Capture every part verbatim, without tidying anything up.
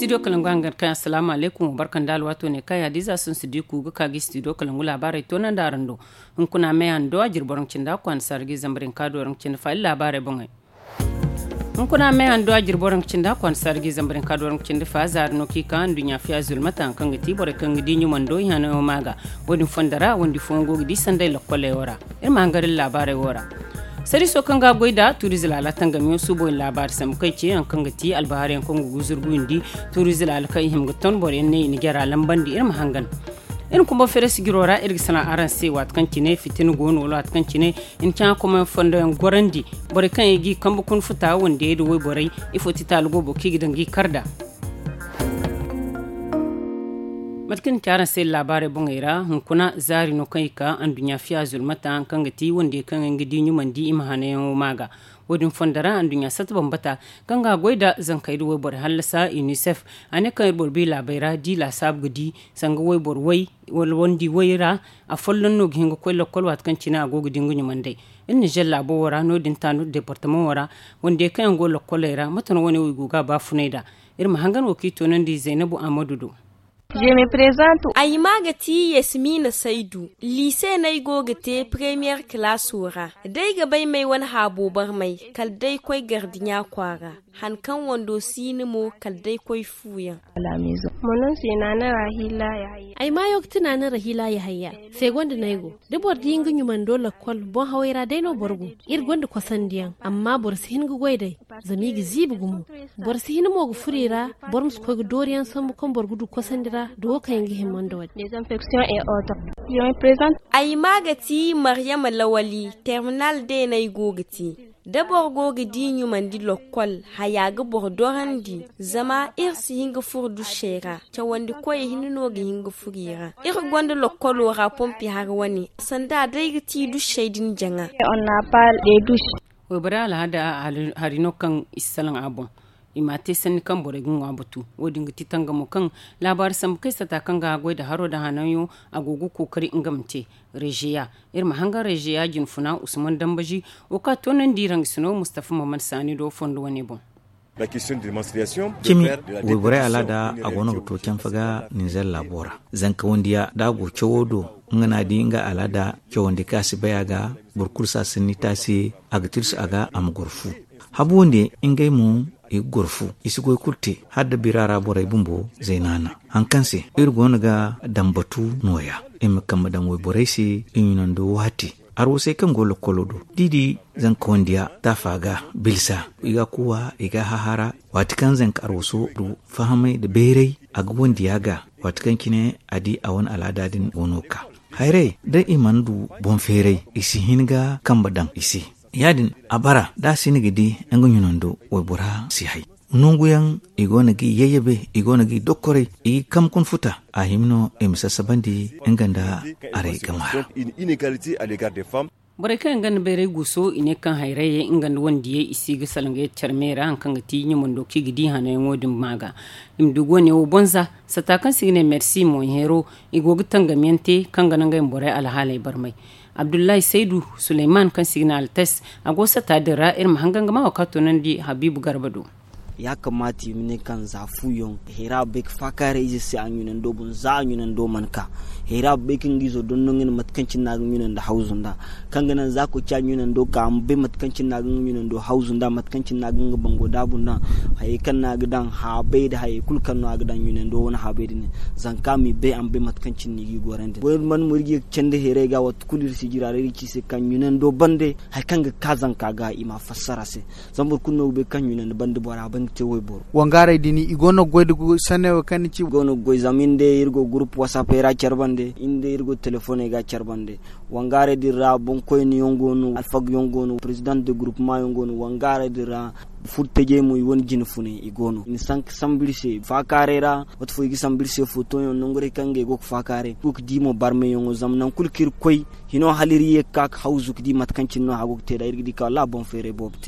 Studio kalangu hangan kaŋ asalaamu alaykum, wa barka nda alwaato ne kaŋ yaadiiza sun si di ku ga ka ga studio kalangu laabaarey to naŋ da araŋ do. Hunkuna me hando a jirbi waraŋ cindi a kwaana sargi zambarin ka do waraŋ cindi fa iri laabaarey boŋey. Hunkuna me hando a jirbi waraŋ cindi a kwaana sargi zambarin ka do waraŋ cindi fa zaari no kaŋ i ka nduɲɲa fiya zulmata haŋ kaŋ ga ti borey kaŋ ga di ɲumando i hanayo ma ga. Wo-din fondo ra wandi fooyaŋ go ga di sanday lokkoley wo ra. Iri ma hangar iri laabaarey wo ra. Sariiso kaŋ ga a goy nda tuuriize laala tangamiyaŋ suubo iri laabaari sambu kaŋ i ce yaŋ kaŋ ga ti albahariyaŋ kaŋ ga guzur guyundi tuuriize laala kaŋ i hima ga ton boroyaŋ ne i na jara lambandi iri ma hangan. Iri ma kumba feere sijiro ra iri ga sanaŋ araŋ se waati kaŋ cine fitina go no wala waati kaŋ cine i na caŋa komayaŋ fondo yaŋ gorandi. Borey kaŋ yaŋ ga i kambe kuna futa wandiyey nda wayborey ifo ti taali goobo kaŋ i ga daŋ ga i kar nd'a. Mate kaŋ ni ci araŋ se laabaarey boŋey ra hunkuna zaari no kaŋ i ka anduɲɲa fiya zulmata haŋ kaŋ ga ti wandiyey kaŋ yaŋ ga di ɲumandi i ma hanayaŋo ma ga. Wo-din fondo ra anduɲɲa satta bambata kaŋ ga a goy nda zankey nda wayborey hallasa unicef a ne kaŋ iri boro bi laabey ra da i laasaabu ga di sanga wayboro way wala wandi way ra. Afolloŋ no ga hin ga koy lakkol waati kaŋ cine a go ga di nga ɲumandey. Iri nizer laabo wo ra no-din taanu departamaŋo ra wandiyey kaŋ yaŋ go lakkoley ra mate no wane wo i go ga a baafunay nd'a. Iri ma hangan wo kaŋ i toonandi zaynabu ahmadu do. Ay maa ga ti yasmiina saydu. Liise no ay go ga te premiyer kalaaso ra. Da ay ga bay m'ay wane haabo barmay kala day koy gardiɲa kwaara. Han kaŋ wando si ni mo kala day koy fuuyaŋ. Ay maayo ga ti naana rahila yahaya. Seegonda no ay go. Da boro di nga ɲumando lakkol boŋ haway ra day no boro go. Iri gonda kosandiyaŋ amma boro si hin ga goy day. Zama i ga ziibi gumo. Boro si hin mo ga furo i ra. Boro ma si koy ga dooriyaŋ sambu kaŋ boro ga du kosandi ra da wo kaŋ yaŋ ga himma nda wo-din. Ay maa ga ti maryama lawali terminal day no ay go ga te. Da boro go ga di ɲumandi lakkol haya ga boro dorandi. Zama iri si hin ga furo dušey ra. Cawandi koyey hinne no ga hin ga furo i ra. Iri gonda lakkolo ra pompi hari wane sanda day ga ti dušey din jaŋa. Wayborey alhada hari no kaŋ i si salaŋ a boŋ. I m'a te sanni kaŋ borey ga ŋwa batu. Wo-din ga ti tangamo kaŋ laabaari sambu kay sata kaŋ ga a goy nda haro nda hananyo. A go ga kookari nga ma te reziya. Iri ma hangan reziya jinfuna usman dambazi. Wo kaŋ a toonandi rangasino mustafa maman saani do fondo wane boŋ. Cimi wayborey alaada a go no ga to canfa ga ninzeer laabo ra. Zanka wandiya da a go cawo do nga no a di nga alaada cawandi kaŋ a si bay a ga. Boro kulu si a sanni te a se. A ga tirsi a ga a ma goro fu. Habu wande ngey mo i ga goro fu. I si goy kulu te hala da bira ra borey bumbo zaynaana. Hari kaŋ se iri go no ga daŋ batu nooya. Iri ma kambe daŋ wayborey se i ɲunando waati. Arwasey kaŋ go lakkolo do da i di zanka wandiya taafa ga bilsa i ga a kuuwa i ga a hahara. Waati kaŋ zanka arwaso du fahamay nda bayray a ga wandiya ga. Waati kaŋ cine a di a wane alaada din go no ga ka. Hayray da i mana du boŋ feeray i si hin ga kambe daŋ i se. Ya-din a bara da a si hin ga di nga ɲunando waybora si hay. Nanguyaŋ i go no ga i yayyabe i go no ga i dokkoray i ga i kambe kuna futa. A hima no i ma sassabandi nga nda aray gama ra. Borey kaŋ yaŋ gonda bayray guuso i ne kaŋ hayrayey nga nda wandiyey i si ga salaŋ ga yadda care me ra hari kaŋ ga ti ɲumando kaŋ i ga di hanayaŋo din ma ga. I ma du goone wo bonza sata kaŋ se i ga ne mersi moyheero. I go ga tangamiyaŋ te kaŋ ga naŋ ngey ma borey alhaaley barmay. Abdullahi saydu suleyman kaŋ se i ga ne altes a go sata din ra iri ma hangan ga ma wo kaŋ a toonandi habiibu garba do. Ya kamaata i ma ne kaŋ za fu yaŋ hayra bay ga faakaaray ize se a ɲunando boŋ za a ɲunando mana ka. Hayra bay kaŋ ga izo dondoŋ i na mate kaŋ cine no a ga ɲunando hawzu nd'a. Kaŋ ga naŋ za koy ci a ɲunando ka a ma bay mate kaŋ cine no a ga nga ɲunando hawzu nd'a mate kaŋ cine no a ga nga bango daabu nd'a. Hayey kaŋ no a ga daŋ haabay nda hayey kulu kaŋ no a ga daŋ ɲunando wane haabay din. Zanka m'i bay a ma bay mate kaŋ cine no i g'i gorandi goy mana mo iri ga ye ga candi hayray ga waati kulu iri si jira ra iri ga ci i se kaŋ ɲunando bande hari kaŋ ga ka zanka ga i m'a fassara se. Zama boro kulu no ga bay kaŋ ɲunandi bande bora bande te wayboro. Wangaaray din i go no ga goy da sanney wo kaŋ ni ci i go no ga goy zama iri day iri go gurupu wasaapey ra care bande iri day iri go telefoney ga care bande. Wangaaray din ra boŋkoyne yaŋ go no alfag yaŋ go no perezidaŋ de gurupuma yaŋ go no wangaaray din ra. Furo tajey mo i wane jine funay i go no i na sanka sambu iri se faakaaray ra. Waati fo i ga sambu iri se footo yaŋ nangu day kaŋ ngey go ga faakaaray i go ga di mo barmayyaŋo zama nangu kulu kaŋ iri ga koy hino hala iri ye ga ka ga hawzu ga di mate kaŋ cine no a go ga te nd'a iri ga di kaŋ wallaahi boŋ feeray boobo te.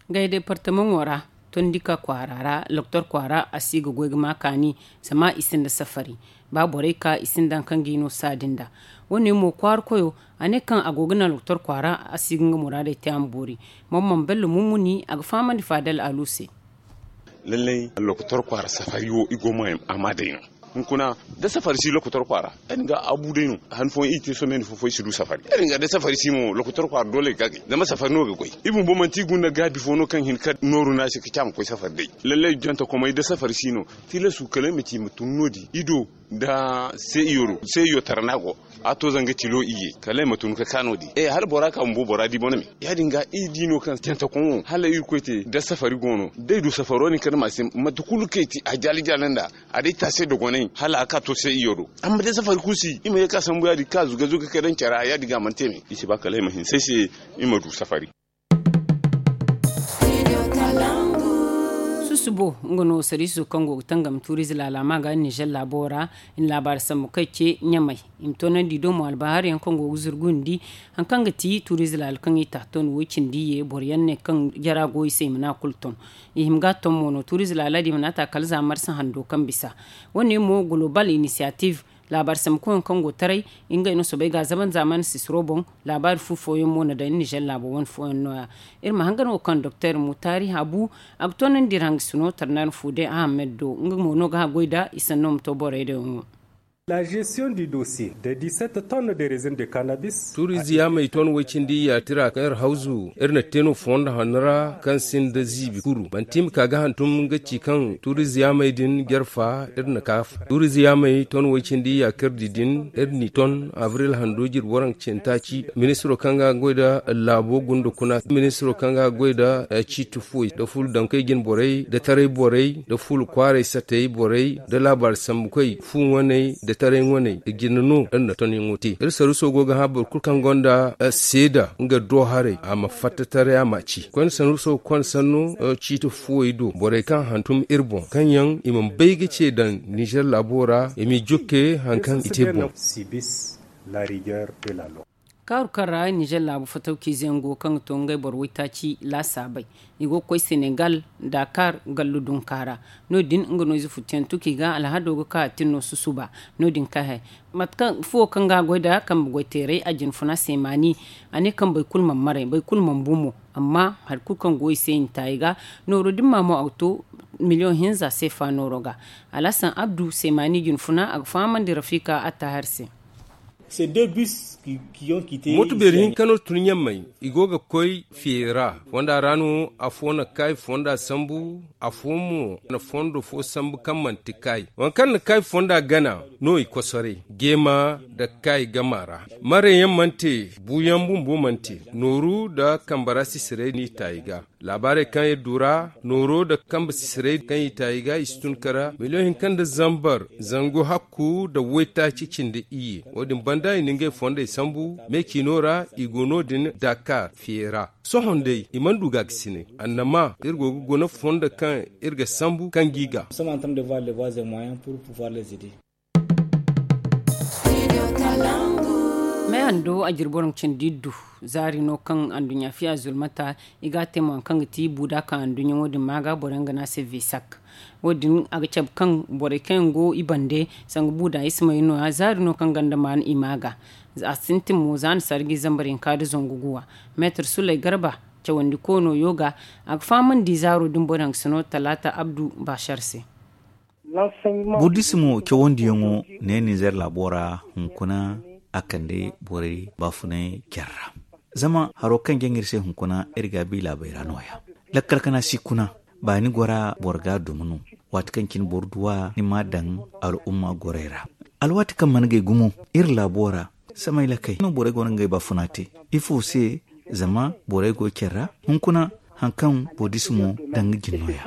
Ngey departamaŋo ra tondika kwaara ra loktor kwaara a si ga goy ga ma kaani. Zama i sinda safari ba borey ka i sinda hari kaŋ ga i no saadi nd'a. Wo-ne mo kwaara koyo a ne kaŋ a go ga naŋ loktor kwaara a si ga nga muraadey te a ma boori. Mamman bello mummuni a ga fahamandi faadal alu se. Lallai lokotor kwaara safari wo i go ma a ma day no. Hunkuna da safari si lokotor kwaara, ya- din ga a bu day no. Han fooyaŋ i te sohõ meene fo fo i si du safari, ya- din ga da safari si mo lokotor kwaara doole i ga ga zama safari no ga goy. I bumbo manti i gunda gaabi fo no kaŋ hin ka nooru no a se ka ci a ma koy safari day. Lallai jonte komay da safari si no. Tilasu kala ay ma ci i ma tun no- din i do nda se iyo do se iyo tara no a go. A to zanga tilo iyye kala ay ma tun ka ka no- din e hala bora ka bumbo bora di bone me. Ya- din ga iri di no kaŋ jantakoŋ wo hala irkoy te da safari go no da ay du safaro din kala ma se mate kulu kaŋ ay te a jaali jaali nda a day taase dogonay hala a ka to se iyo do. Amma da safari kulu si i ma ye ka sambu ya- din ka zuga zuga ka daŋ care ra ya- din ga a mana te me i si ba kala ay ma hinse ay se i ma du safari. Susubo nga no sariiso kaŋ go ga tangam tuuriize laala ma ga nizer laabo ra. I na laabaari sambu kaŋ ay ce ɲamay i ma toonandi do mo albahar yaŋ kaŋ go ga zurgundi. Hari kaŋ ga ti tuuriize laala kaŋ i ta ton wo- cindi ye boro yaŋ ne kaŋ jara go i se i mana a kulu ton. I hima ga a ton mo no tuuriize laala din i mana a ta kala za marsa hando kaŋ bisa. Wo- ne mo golobal inisiyatif laabaari sambu koyyaŋ kaŋ go taray. Ngey no soobay ga a zaban zaamaani sisiro boŋ. Laabaari fu fooyaŋ mo na daŋ nizer laabo wane fooyaŋ no- ya. Iri ma hangan wo kaŋ doktor mutaari habu a ga toonandi iri hangasino tarnaani fu day ahamed do nga mo no ga a goy nd'a i sanno ma to borey do yaŋo. La gestion du dossier de dix-sept tonnes de résin de cannabis. Tuuriize yaamey ton way-cindi yaatira kaŋ iri hawzu iri na te no fondo hanno ra kaŋ sinda ziibi kuru manti i ma ka ga hantum nga ci kaŋ tuuriize yaamey din jarfa iri na kaafa tuuriize yaamey ton way-cindi yaakardi din iri n'i ton abril hando jirbi waranka cindi taaci. Ministiro kaŋ ga goy nda laabo gunda kuna ministiro kaŋ ga goy nda ciiti fuwey nda fulu dankey jine borey nda taray borey nda fulu kwaaray satey borey nda laabaari sambukoy fu ŋwaney nda taray ŋwaney nda jine no iri na tonyaŋo te iri saruuso go ga hã boro kulu kaŋ gonda seeda nga do haray a ma fatta taray a ma ci koyne saruuso ga konda sanno ciiti fuwey do borey kaŋ hantum iri boŋ kaŋ yaŋ i mana bay ga ce daŋ nizer laabo ra i m'i jukke hari kaŋ i te boŋ. Kaaru kaŋ ra nizer laabu fatawkiize yaŋ go kaŋ ga to ngey boro waytaaci laasaabey. I go ga koy senegal, dakar gallu dunka ra. No- din nga no ize futtuyaŋ tuki ga alhado ga ka a tin no susuba. No- din kay hay mate kaŋ fuwo kaŋ ga a goy nd'a kambe goy teeray a jine funa seemaani. A ne kaŋ boro kulu mana maray boro kulu mana bu mo. Amma hari kulu kaŋ go i se i na taayi ga nooro din ma mo a ga to miliyoŋ hinza seefa nooro ga. Alhasan abdu seemaani jine funa a ga fahamandi rafika attahar se. Moto beeri hinka no tun ɲammay i go ga koy fiye ra. Fonda ra no afo na kay fonda sambu. Afo mo na fondo fo sambu kaŋ manti kay waŋ kaŋ na kay fonda gana. No i kosoray geema nda kay gama ra. Mareyaŋ mana te buuyaŋ bumbo mana te nooru nda kambara sisiray n'i ta i ga. Laabaarey kaŋ iri du ra nooro nda kambe sisirey kaŋ i ta i ga i si tun kara miliyoŋ hinka nda zambar zangu hakku nda waytaaci cindi iyye. Wo- din banda i na ngey fondey sambu me ciino ra i go no- din dakar fiye ra. Sohõ day i mana du gaakasinay annama iri go ga guna fondo kaŋ iri ga sambu kaŋ g'i ga. Meehando a jiri boro cindi iddu zaari no kaŋ anduɲɲa fiya zulmata. I ga a te mo hari kaŋ ga ti buuda kaŋ anduɲɲa wo- din ma ga boro yaŋ ga ne a se vesak. Wo- din a ga cabe kaŋ borey kaŋ yaŋ go i bande sanga buuda isimey no- ya zaari no kaŋ ganda maan i ma ga. A sintin mo za na sarji zambar hinka nda zangu guwa. Meetar suley garba cawandi koono yo ga a ga fahamandi zaaro din boro yaŋ ga si no talaata abdu baasar se. Burdisimo cawandiyaŋo ne ninzeer laabo ra hunkuna a kande borey baafunay care ra. Zama haro kaŋ jaŋ iri se hunkuna iri ga a bi laabey ra nooya. Lakkal kana si kuna baani gora boro ga a duma no. Waati kaŋ cine boro duw'a ni m'a daŋ al'umma gorey ra. Alwaati kaŋ mana gay gumo iri laabo ra samay lakey no borey go no ngey baafuna te. Ifo se? Zama borey go care ra hunkuna hari kaŋ burdisimo daŋ ga jin nooya.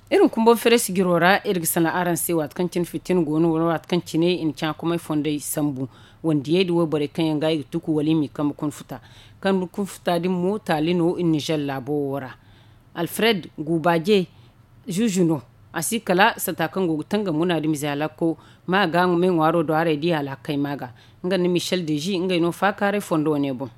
Iri ma kumbo feres jiro ra iri ga sanaŋ araŋ se waati kaŋ cine fitina go no wala waati kaŋ cine i na caakumay fondey sambu. Wandiyey da wayborey kaŋ yaŋ ga i ga tuku wala i m'i kambe kunfuta. Kambe kunfuta din mo taali no i na nizer laabo wo ra. Alfred guubaje zuuzu no. A si kala sata kaŋ go ga tangam munaadimize halakko ma ga me ŋwaaro do haray di hala a kay ma ga. Nga nda michel dezi ngey no faakaaray fondo wane boŋ.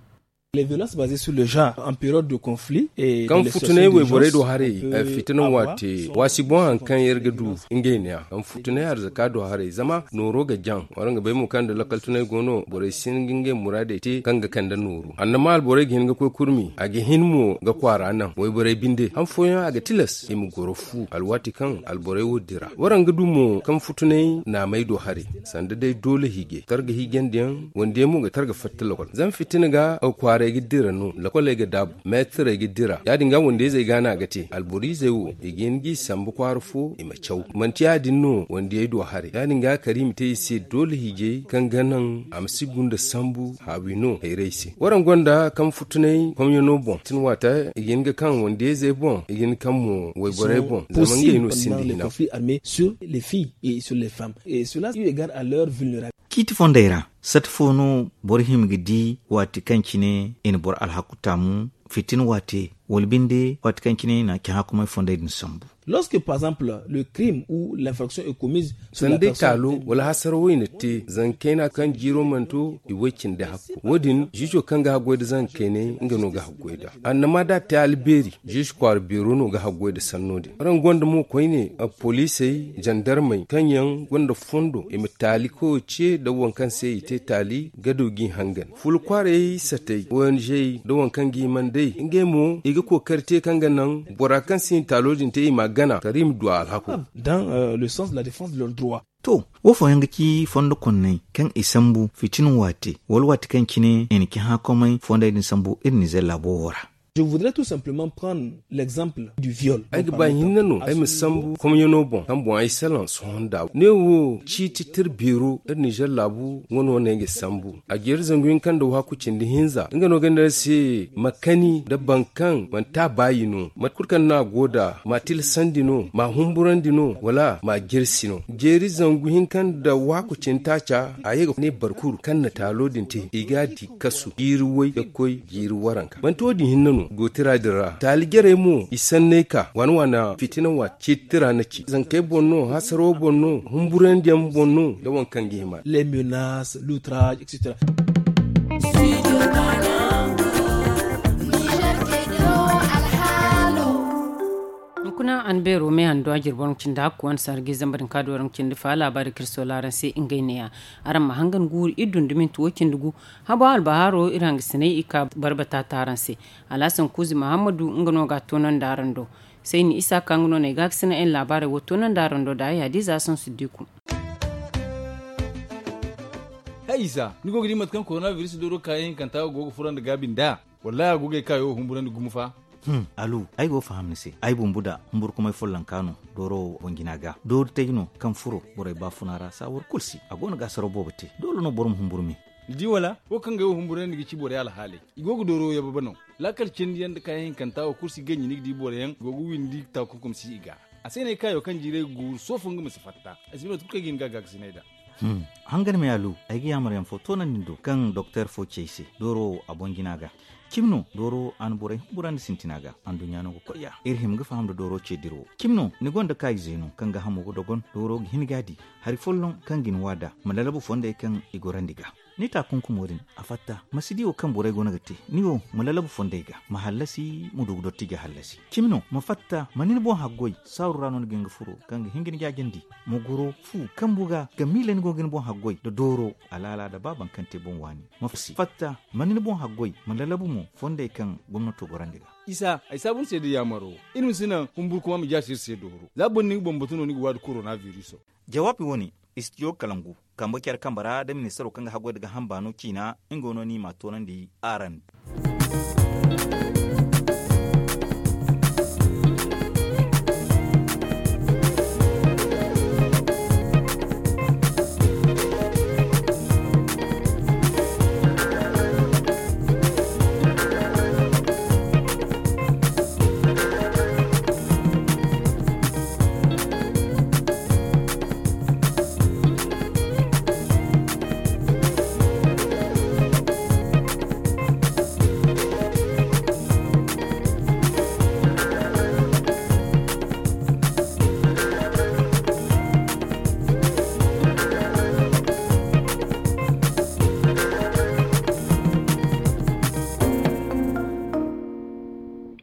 Les violences basées sur le genre en période de conflit. Kaŋ futunay wayborey do haray, fitina waate waasi boŋ hari kaŋ iri ga du ngey neeya kaŋ futunay arzaka do haray zama nooro ga jaŋ. Waraŋ ga bay mo kaŋ nda lakkal tunay go no borey si hin ga ngey muraadey te kaŋ ga kande nooru annama alborey ga hin ga koy kurmi a ga hin mo ga kwaara naŋ wayborey binde han fooyaŋ a ga tilas i ma goro fu alwaati kaŋ alborey wo dira. Waraŋ ga du mo kaŋ futunay naamey do haray sanda day doole hiijay targa hiijandiyaŋ wande mo ga targa fatta lokol zama fitina ga kwaaray ga dira no lokoley ga daabu meetirey ga dira ya- din ga wande izey ga no a ga te alboro izey wo i ga hin ga i sambu kwaara fo i ma caw manti ya- din no wandiyey do haray ya- din ga kala i ma te i se doole hiijay kaŋ ga naŋ a ma si gunda sambu haawi no hayrey se waraŋ gonda kaŋ futunay komyano boŋ tin waata i ga hin ga kaŋ wandiyey zey boŋ i ga hin kaŋ mo wayborey boŋ zama ngey no sinda hina. Sur les filles et sur les femmes et cela eu égard à leur vulnérabilité. Ciiti fondey ra sata fo no boro hima ga di waati kaŋ cine i na boro alhaku taamu fitina waate wala binde waati kaŋ cine i na cahãakumay fondey din sambu. Lorsque par exemple le crime ou l'infraction est commise sur la personne. Sanda day taalo wala hasara wo i na te zanka kayna kaŋ jiiro mana to i way cindi hakku wo- din ziizo kaŋ ga haggoy nda zanka kaynay nga no ga haggoy nd'a annama da a te albeeri ziizo kwaara beero no ga haggoy nda sanno din araŋ gonda mo koyne poliisey zandarmey kaŋ yaŋ gonda fondo i ma taali kawo ce nda waŋ kaŋ se i te taali gado g'i hangan fula kwaarey satey ongey nda waŋ kaŋ g'i man day ngey mo i ga kookari te kaŋ ga naŋ bora kaŋ si hin taalo din te i m'a gana kala i ma du a alhako. Dans le sens de la défense de leur droit. To, wo fooyaŋ ga ci fondo konney kaŋ i sambu fitina waate wala waati kaŋ cine i na cahãakumay fondey din sambu iri nizer laabo wo ra. Je voudrais tout simplement prendre l'exemple du viol. Ay ga ba hinne no ay ma sambu komyano boŋ kaŋ boŋ ay salaŋ sohõ nda ne wo ciiti tira beero iri nizer laabu nga no no ay ga sambu a jeeri zangu hinka nda waaku cindi hinza nga no ga ne ay se ma kani nda boro kaŋ manti a baayi no mate kulu kaŋ no a go nd'a ma a tilasandi no ma a humburandi no wala ma a jirsi no jeeri zangu hinka nda waaku cindi taaca a ye ga ne boro kulu kaŋ na taalo din te i ga a di kasu jiiri way ga koy jiiri waranka manti wo- din hinne no gootira din ra taali jarey mo i sanney ka waana waana fitina waati ciiti tira na ci zankey boŋ no hasaro boŋ no humburandiyaŋ boŋ no nda waŋ kaŋ ga hima. Les menaces l'outrage et cetera. Hunkuna an beero me handu a jirbo raŋ cindi hakku wane sargi zamba din ka do raŋ cindi fa laabaari kaŋ iri soola araŋ se ngey neeya. Araŋ ma hangan guuru iri dunduminti wo cindi gu habo albahaaro iri hangasiney i ka barbata taaraŋ se. Alhasan kuuzi mahammadu nga no ga a toonandi araŋ do. Sayni isa ka nga no no ay ga a ga sina ay na laabaarey wo toonandi araŋ do da ay hadiza sansu diiku. Hay isa ni go ga di mate kaŋ korona biris dooro kaayaŋ hinkanta go ga furo nda gaabi nd'a? Wallahi a go ga ay kaayo humburandi gumo fa. Alu, ay go ga faham ni se. Ay bumbu da humburkumay follonka no dooro wo boŋ jina ga doori tay no kaŋ furo borey baafuna ra saawar kulu se a go no ga asaro boobo te doole no boro ma humburu me. Ni di wala wo kaŋ ga ay wo humburandi ga ci borey alhaaley i go ga dooro yababe no. Laakal cindi yaŋ nda kaayaŋ hinkanta wo kulu si ganji ni ga di boro yaŋ i go ga windi takunkum si i ga. A se no ay kaayo kaŋ jiiray ga guuru soofo nga ma si fatta. Ay si bay mate kulu kaŋ ay ga hin ga a gaakasinay nd'a. Hangan me alu, ay ga yaamar yaŋ fo toonandi ni do kaŋ doktor fo ci ay se dooro wo a boŋ jina ga. Cimi no dooro wo a na borey humburandi sintina ga anduɲɲa no ga koy ya iri hima ga faham nda dooro ce dira wo. Cimi no ni gonda kaayize no kaŋ ga hamo ga dogon dooro ga hin ga a di hari folloŋ kaŋ ga ni waada ma lalabu fondey kaŋ i gorandi ga. Ni taakunkumo din a fatta ma si di wo kaŋ borey go no ga te. Ni wo ma lalabu fondey ga ma hallasi ma du ga dotti ga hallasi. Cimi no ma fatta ma ni ni boŋ haggoy saaru ra no ni ga hin ga furo kaŋ ga hin ga ni jaajandi. Ma goro fu kambu ga ga miila ni go ga ni boŋ haggoy nda dooro alaala nda ba baŋ kaŋ te boŋ waani. Ma fatta ma ni ni boŋ haggoy ma lalabu mo fondey kaŋ gomnato gorandi ga. Isa ay saabu ni se nda yaamaro. Iri ma si naŋ humburkuma ma jaasi iri se dooro za boro ni ga bambatu no ni ga waadi korona biriso. Jawaabi wo-ne istijo kalangu kambe care kambe ra nda ministaro kaŋ ga haggoy nda gaaham baano ciina nga wo no ni m'a toonandi araŋ.